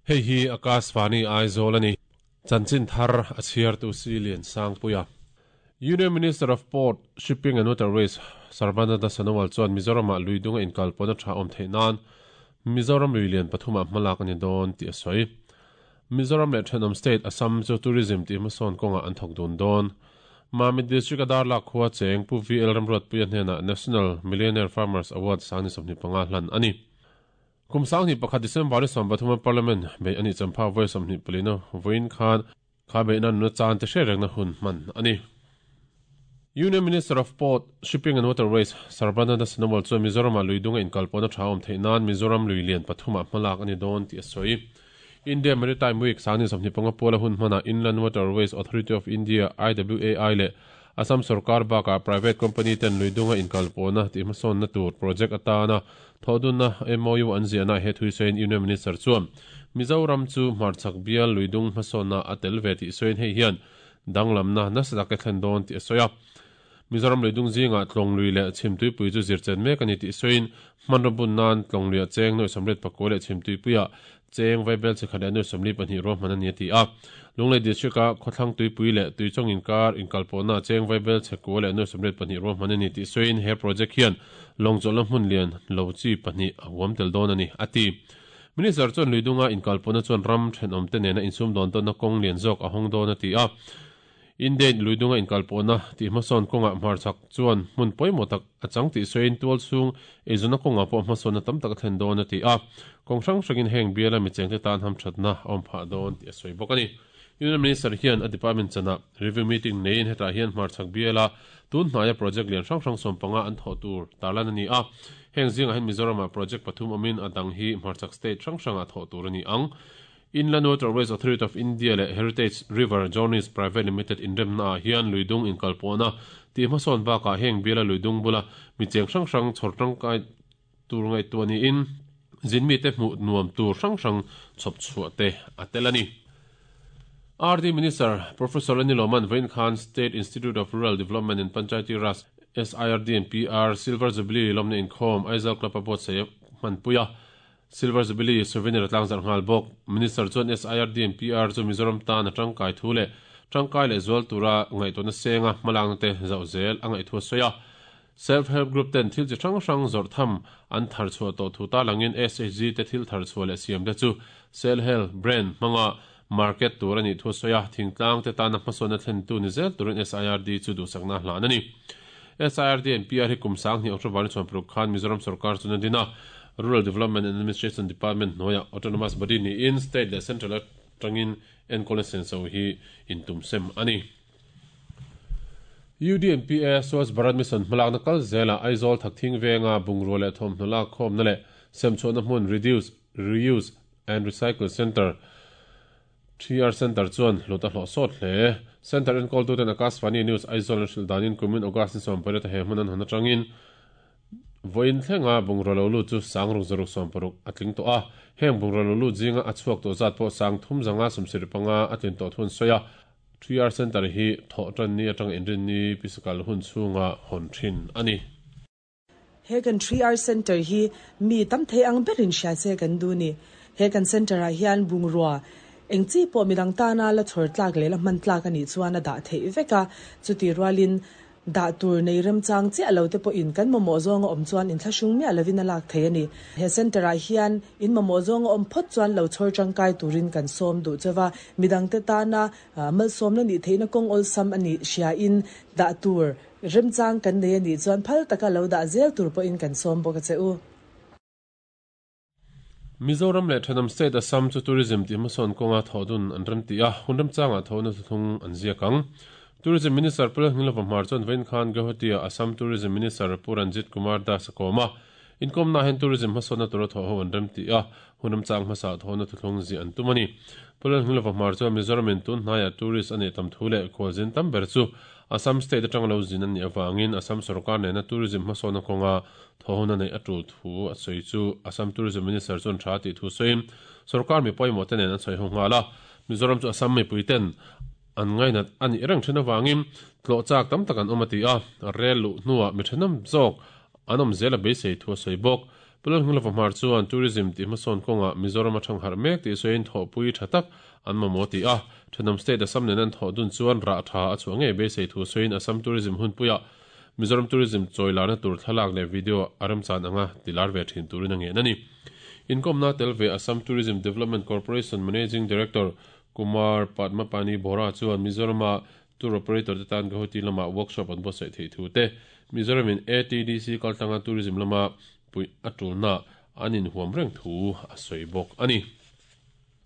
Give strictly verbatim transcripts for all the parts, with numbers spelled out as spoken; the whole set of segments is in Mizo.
Hei hi Akashvani Aizawl ani. Chanchin thar a chhiar tu si lian sang puia. Union Minister of Port, Shipping and Waterways Sarbananda Sonowal chuan Mizoram ah luidunga inkalpawna tha awm theih nan Mizoram lui lian pathum ah hmalak ani dawn tih a sawi. Mizoram leh thenawm state Assam chu tourism tih hmasawn kawngah an thawk dun dawn. Mamit District a Darlak khua cheng Pu V L Ramruatpuia hnenah National Millionaire Farmers Award sangni sawmhnih panga hlan a ni. Kum sanghnih pakhat December ni sawm pathuma Parliament bei a nih champha vawi sawmhnih palina vawiin khan kha beihna nuna chan te hriat rengna hun hman a ni. Union Minister of Port, Shipping and Waterways Sarbananda Sonowal chuan Mizoram-ah luidunga inkalpawhna tha awm theih nan Mizoram lui lian pathumah hmalak a ni dawn tih a sawi. India Maritime Week sangni sawmhnih panga puala hun hmanah Inland Waterways Authority of India, I W A I, leh Assam sorkar bakah private company ten luidunga inkalpawhna tih hmasawnna tur project atana thawhdunna M O U an ziahna he thui sawiin Union Minister chuan Mizoram chu hmarchhak bial luidung hmasawnna a tel ve tih sawiin hei hian danglamna nasa tak e thlen dawn tih a sawi a. Mizoram luidung zingah tlawng lui leh chhimtuipui chu zirchen mek a ni tih sawiin hmanraw bun nan tlawng luiah cheng nuaih sawmriat pakua leh chhimtuipuiah cheng vaibel chikhat leh nuaih sawmli pahnih ruahman a ni a ti a. Lunglei district-a khawthlang tuipui leh tuichawng inkar inkalpawhna cheng vaibel chhekua leh nuaih sawmriat pahnih ruahman a ni tih sawiin he project hian lawngchawlhna hmun lian lo chi pahnih a huam tel dawn a ni a ti. Minister chuan luidunga inkalpawhna chuan ram thenawmte nena insum dawn tawnna kawng lian zawk a hawng dawn a ti a. Indian luidunga inkalpawhna tih hmasawn kawngah hmarchhak chuan hmun pawimawh tak a chang tih sawiin tual chhung eizawnna kawngah pawh hmasawnna tam tak a thlen dawn a ti a. Kawng hrang hrangin heng biala michengte tan hamthatna a awm phah dawn tih a sawi bawk a ni. Union Minister hian a department chanah review meeting neiin hetah hian hmarchhak biala tun hnaia project lian hrang hrang sawm panga an thawh tur tarlan a ni a. Heng zingah hian Mizoramah project pathum awmin a dang hi hmarchhak state hrang hrangah thawh tur a ni ang. Inland Waterways Authority of India leh Heritage River Journeys Private Limited inremna ah hian luidung inkalpawhna tih hmasawn bakah heng biala luidung bula micheng hrang hrang chhawr tangkai tur ngaihtuah niin zinmite hmuh nuam tur hrang hrang chhawp chhuah te a tel a ni. R D Minister Professor Anil Oman vawiin khan State Institute of Rural Development and Panchayati Raj, S I R D and P R, Silver Jubilee lawmna inkhawm Aizawl Club a buatsaih hmanpui a. Silver Jubilee souvenir a tlangzarh nghal bawk. Minister chuan S I R D and P R chu Mizoram tan a tangkai thu leh tangkai leh zual tura ngaihtuahna senga hmalakna te zauh zel a ngaih thu a sawi a. Self-help group ten thil chi hrang hrang zawrh tham an thar chhuah tawh thu ta langin S H G te thil thar chhuah leh siam te chu self-help brand hmanga market tur a nih thu a sawi a. Thingtlang te tana hmasawnna thlen tu ni zel turin S I R D chu duhsakna hlan a ni. S I R D and P R hi kum sanghnih October ni chhuan paruk khan Mizoram sarkar chuan a din a. Rural Development and Administration Department hnuaiah autonomous body niin state leh central atangin enkawl senso hi intum sem a ni. U D N P A Swachh Bharat Mission hmalakna kal zelah Aizawl Thakthing venga bungrua leh thawmhnaw lak khawmna leh semchhuahna hmun Reduce, Reuse and Recycle Centre, three R Centre chuan hlut a hlawh sawt hle. Centre enkawltuten Akashvani News Aizawl an hrilh danin kumin August ni sawm pariat a he hmun an hawn atangin vawiin thlenga bungrua lo lut chu sang ruk zaruk sawm paruk a tling tawh a. Heng bungrua lo lut zinga a chhuak tawh zat pawh sang thum zanga sawmsirih panga a tlin tawh thun sawi a. three R Centre hi thawh tan ni atanga inrin ni pisakal hun chhunga hawn thin a ni. He kan three R Centre hi mi tam thei ang berin hria che kan du ni. He kan centre ah hian bungrua eng chi pawh midang tana la chhawr tlak leh la hman tlak a nih chuan a dah theih vek a. Chuti rualin dah tur nei remchang chiah lo te pawhin kan mamawh zawnga awm chuan inthlahrung miah lovin a lak thei a ni. He centre ah hian in mamawh zawnga awm phawt chuan lo chhawr tangkai turin kan sawm duh chewa. Midang te tana malsawmna nih theihna kawng awlsam a nih hria in dah tur remchang kan nei a nih chuan phal taka lo dah zel tur pawhin kan sawm bawk a che u. Mizoram leh Thenawm State Assam chu tourism tih hmasawn kawnga thawhdun an rem ti a, hun remchangah thawhna thuthlung an ziak ang. Tourism Minister Pu Lalhnilova Hmar chuan vawiin khan Guwahati-ah Assam Tourism Minister Pu Ranjit Kumar Das a kawm a. Inkawmna hian tourism hmasawnna tura thawh ho an rem ti a, hun remchang hmasa thawhna thuthlung ziah an tum a ni. Pu Lalhnilova Hmar chuan Mizoramin tun hnaiah tourist a neih tam thu leh khualzin tam ber chu Assam State atanga lo zin an nih avangin Assam sarkar nena tourism hmasawnna kawnga thawhhuna neih a tul thu a sawi chu Assam Tourism Minister chuan tha tih thu sawiin sarkar mi pawimawh te nen an sawi ho nghal a. Mizoram chu Assam mipui ten an ngainat a nih reng then avangin tlawh chak tam tak an awm a ti a. Rel luh hnuah mi thenawm zawk an awm zel a beisei thu a sawi bawk. Pulal hngla fahmar chuan tourism ti hmasawn kawnga Mizoram atang har mek ti soin tho pui thatak an mamo ti a thanam state Assam nen an tho dun chuan ra tha a chu nge be sei thu soin Assam tourism hun puya Mizoram tourism choilana tur thalak le video aram chan anga tilar ve thin turin ange nani Income na telve Assam Tourism Development Corporation Managing Director Kumar Padmapani Bora chuan Mizoram tour operator te tan Guwahati lama workshop an buatsaih thei thu te Mizoram in A T D C kaltanga tourism lama pui atulna anin huam reng thu a sawi bawk ani.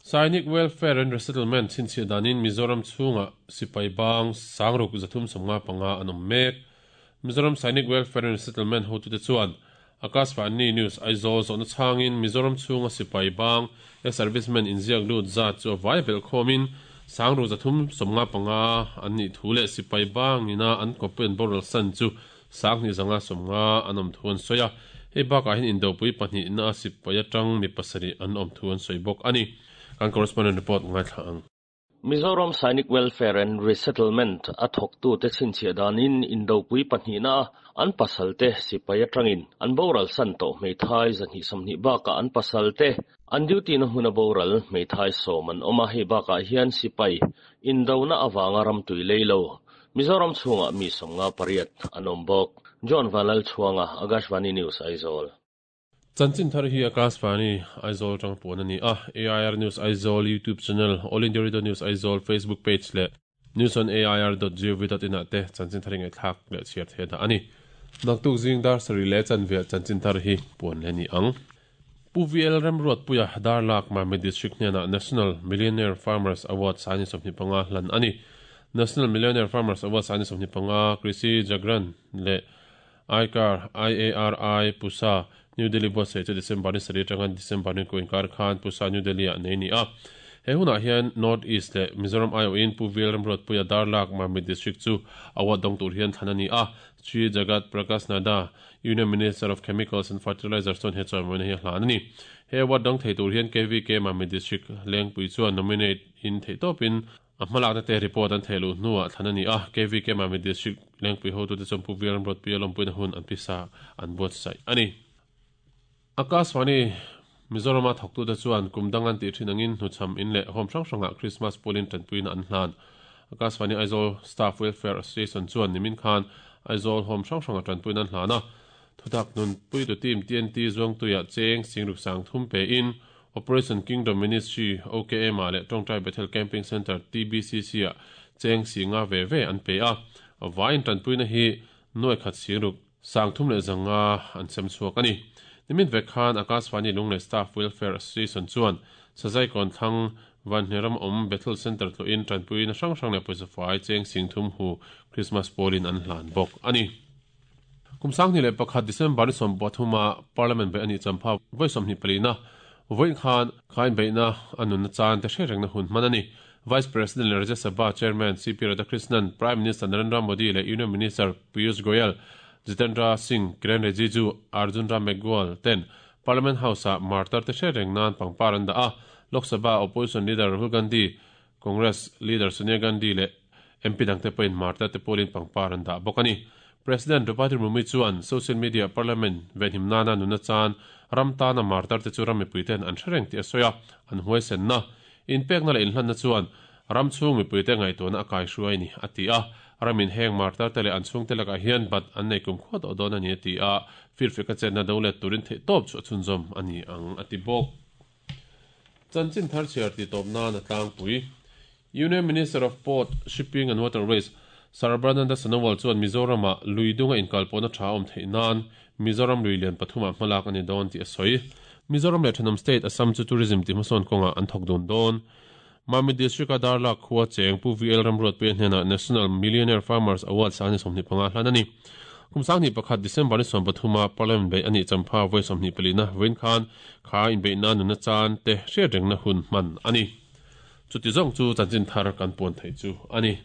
Sainik Welfare and Resettlement chinchhi danin Mizoram chhunga sipai bang sangruk zathum somnga panga anom mek. Mizoram Sainik Welfare and Resettlement hotu te chuan Akashvani News Aizawl zawhna chhangin Mizoram chhunga sipai bang e servicemen inziak lut zat chu vai bel khomin sangru zathum somnga panga an ni thu le sipai bang ina an kopen boral san chu sangni zanga somnga anom thuan soya hei bakah hin indopui pahnih na sipai atang mi pasari an awm thuan soi bawk ani. Kan correspondent report ngai thla ang. Mizoram Sainik Welfare and Resettlement a thawktu te chhinchhiah danin indopui pahnih na an pasal te sipai atangin an boral san tawh hmeithai zahnih sawmhnih bakah an pasal te an duty na hmun a boral hmeithai sawm an awm a hei bakah hian sipai indona awanga ram tui leilo Mizoram chhungah mi sawmnga pariat an awm bawk. John Vanlal Chhuanga, Akashvani News, Aizawl. Chanchin thar hi Akashvani Aizawl tang puan ani a. A I R News Aizawl YouTube channel, All India Radio News Aizawl Facebook page le news on A I R dot gov dot in te chanchin thar ngai thak le chiar the da ani. Naktuk zing dar sari le chanve chanchin thar hi puan le ni ang. Pu V L Ramruat Puya Darlak Mami District hnena National Millionaire Farmers Award sani sawmhnih panga hlan ani. National Millionaire Farmers Award sani sawmhnih panga Krishi Jagran le I C A R I A R I Pusa New Delhi buatsaih chu December ni sarih atanga December ni ko inkar khan Pusa New Delhi ah nei ni a. He hunah hian North East le Mizoram I O in Pu V L Ramruat Puya Darlak Mami District chu award dawng tur hian thlan ani a. Shri Jagat Prakash Nada Union Minister of Chemicals and Fertilizers chuan he chawimawi hi a hlan ani. He award dawng thei tur hian K V K Mami District Lengpui chuan nominate in thei tawpin a hmalakna te report an theilu hnuah thlan ani a. K V K Mami District Lengpui hotu te chuan Pu V L Ramruat Puya lawmpuina hun an pisa an buatsaih ani. Akashvani Mizoram a thawktu te chuan kumdang an tih thin angin hnuchham in leh home hrang hrangah Christmas pawlin tanpuina an hlan. Akashvani Aizawl Staff Welfare Association chuan nimin khan Aizawl home hrang hrangah tanpuina an hlan a. Thutak nun puitu team T N T zuangtuiah cheng singruk sang thum pe in Operation Kingdom Ministry O K M a leh Tawngtai Bethel Camping Center T B C C a cheng singa ve ve an pe a. Vain tanpuina hi nuai khat singruk sang thum leh zanga an sem chhuak ani. Nimin vek khan Akashvani Lunglei Staff Welfare Association chuan Sazai kon thlang Vanhneram awm Bethel Center tluin tanpuina hrang hrang leh pawisa fai cheng sing thum hu Christmas pawlin an hlan bawk ani. Kumsang ni leh pakhat December ni sawm pathuma Parliament be ani champha voi sawmhnih palina voin khan khain beina anun na chan te hre rengna hun hman ani. Vice President le Rajya Sabha Chairman C P Radhakrishnan, Prime Minister Narendra Modi le Union Minister Piyush Goyal, Jitendra Singh, Kiren Rijiju, Arjun Ram Meghwal ten Parliament House a martar te hre reng nan pangpar an da a. Lok Sabha Opposition Leader Rahul Gandhi, Congress Leader Sonia Gandhi le M P dangte pawhin martar te pawlin pangpar an da bawk ani. President Draupadi Murmu chuan social media parliament venhim nana nuna chan ram tana martar te chu ram mipuiten an hre reng tih a sawi a. An huai senna inpekna leh inhlanna chuan ram chhung mipuite ngaihtuahna a kai hruai ni a ti a. Ramin heng martar te leh an chhung te lakah hian bat an nei kum khuat awh dawn ani a ti a. Firfek a chenna do let turin theih tawp chu a chhunzawm ani ang a ti bawk. Chanchin thar chhiar ti tawp nan a tlangpui. Union Minister of Port, Shipping and Waterways Sarbananda Sonowal chuan Mizoram luidunga inkalpawhna tha awm theih nan Mizoram lui lian pathumah hmalak ani dawn tih a sawi. Mizoram leh Thanam State Assam chu tourism ti hmasawn kawnga an thawk dun dawn. Mami District a Darlak khua cheng Pu V L Ramruat Puya hnena National Millionaire Farmers Award sani sawmhnih panga hlan ani. Kumsang ni pakhat December ni sawm pathuma Parliament bei ani champha voi sawmhnih palina voin khan kha inbeihna nuna chan te hriat rengna hun hman ani. Chuti zawng chu chanchin thar kan puan thei chu ani.